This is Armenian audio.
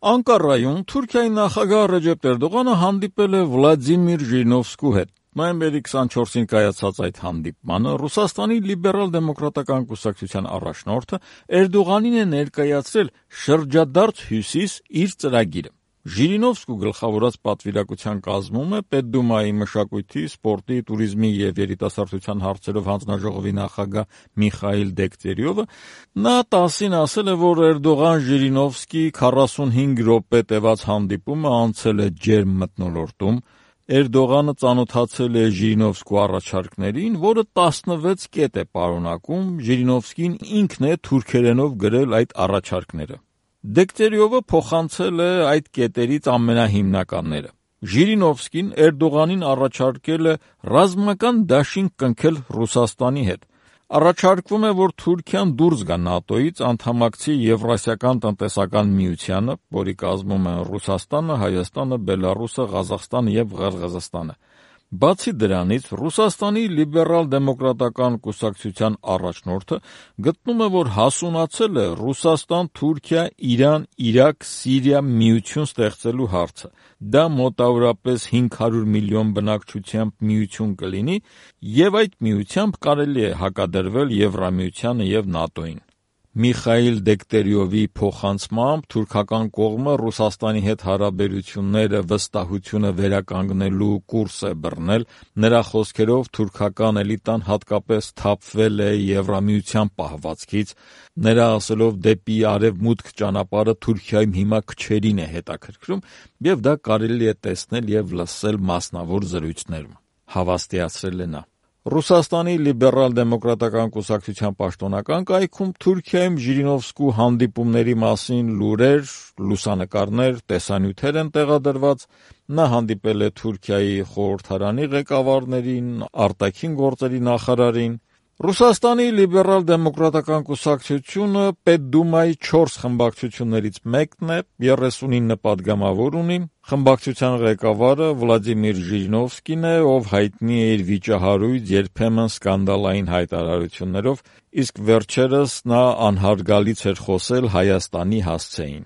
Անկարայում Թուրքիայի նախագահ Ռեջեփ Էրդողանը հանդիպել է Վլադիմիր Ժիրինովսկու հետ։ Նոյեմբերի 24-ին կայացած այդ հանդիպմանը Ռուսաստանի լիբերալ-դեմոկրատական կուսակցության առաջնորդը Էրդողանին է ներկայացրել շրջադարձ հյուսիս իր ծրագիրը։ Ժիրինովսկու գլխավորած պատվիրակության կազմում է Պետդումայի մշակույթի, սպորտի, տուրիզմի և երիտասարդության հարցերով հանձնաժողովի նախագահ Միխայիլ Դեգտերյովը։ Նա ՏԱՍՍ-ին ասել է, որ Էրդողան-Ժիրինովսկի 45 րոպե տևած հանդիպումը անցել է ջերմ մթնոլորտում։ Էրդողանը ծանոթացել է Ժիրինովսկու առաջարկներին, որը 16 կետ է պարունակում։ Ժիրինովսկին ինքն է թուրքերենով գրել այդ առաջարկները։ Դեգտերյովը փոխանցել է այդ կետերից ամենահիմնականները։ Ժիրինովսկին Էրդողանին առաջարկել է ռազմական դաշինք կնքել Ռուսաստանի հետ։ Առաջարկվում է, որ Թուրքիան դուրս գա ՆԱՏՕ-ից, անդամակցի Եվրասիական տնտեսական միությանը, որի կազմում են Ռուսաստանը, Հայաստանը, Բելառուսը, Ղազախստանը եւ Ղրղըզստանը։ Բացի դրանից, Ռուսաստանի լիբերալ-դեմոկրատական կուսակցության առաջնորդը գտնում է, որ հասունացել է Ռուսաստան-Թուրքիա-Իրան-Իրաք- Սիրիա միություն ստեղծելու հարցը։ Դա մոտավորապես 500 միլիոն բնակչությամբ միություն կլինի, եւ այդ միությամբ կարելի է հակադրվել Եվրամիությանը եւ ՆԱՏՕ-ին։ Միխայիլ Դեգտերյովի փոխանցմամբ թուրքական կողմը Ռուսաստանի հետ հարաբերությունները վստահությունը վերականգնելու կուրս է բռնել։ Նրա խոսքերով թուրքական էլիտան հատկապես թափվել է Եվրամիության պահվածքից։ Նրա ասելով դեպի արևմուտք ճանապարհը Թուրքիայում հիմա քչերին է հետաքրքրում, եւ դա կարելի է տեսնել եւ լսել մասնավոր զրույցներում, հավաստիացրել է նա։ Ռուսաստանի լիբերալ-դեմոկրատական կուսակցության պաշտոնական կայքում Թուրքիայում Ժիրինովսկու հանդիպումների մասին լուրեր, լուսանկարներ, տեսանյութեր են տեղադրված։ Նա հանդիպել է Թուրքիայի խորհրդարանի ղեկավարներին, արտաքին գործերի նախարարին։ Ռուսաստանի լիբերալ-դեմոկրատական կուսակցությունը Պետդումայի 4 խմբակցություններից մեկն է, 39 падգամավոր ունի։ Խմբակցության ղեկավարը Վլադիմիր Ժիրինովսկին է, ով հայտնի է իր վիճահարույց, երբեմն սկանդալային հայտարարություններով, իսկ վերջերս նա անհարգալից էր խոսել Հայաստանի հասցեին։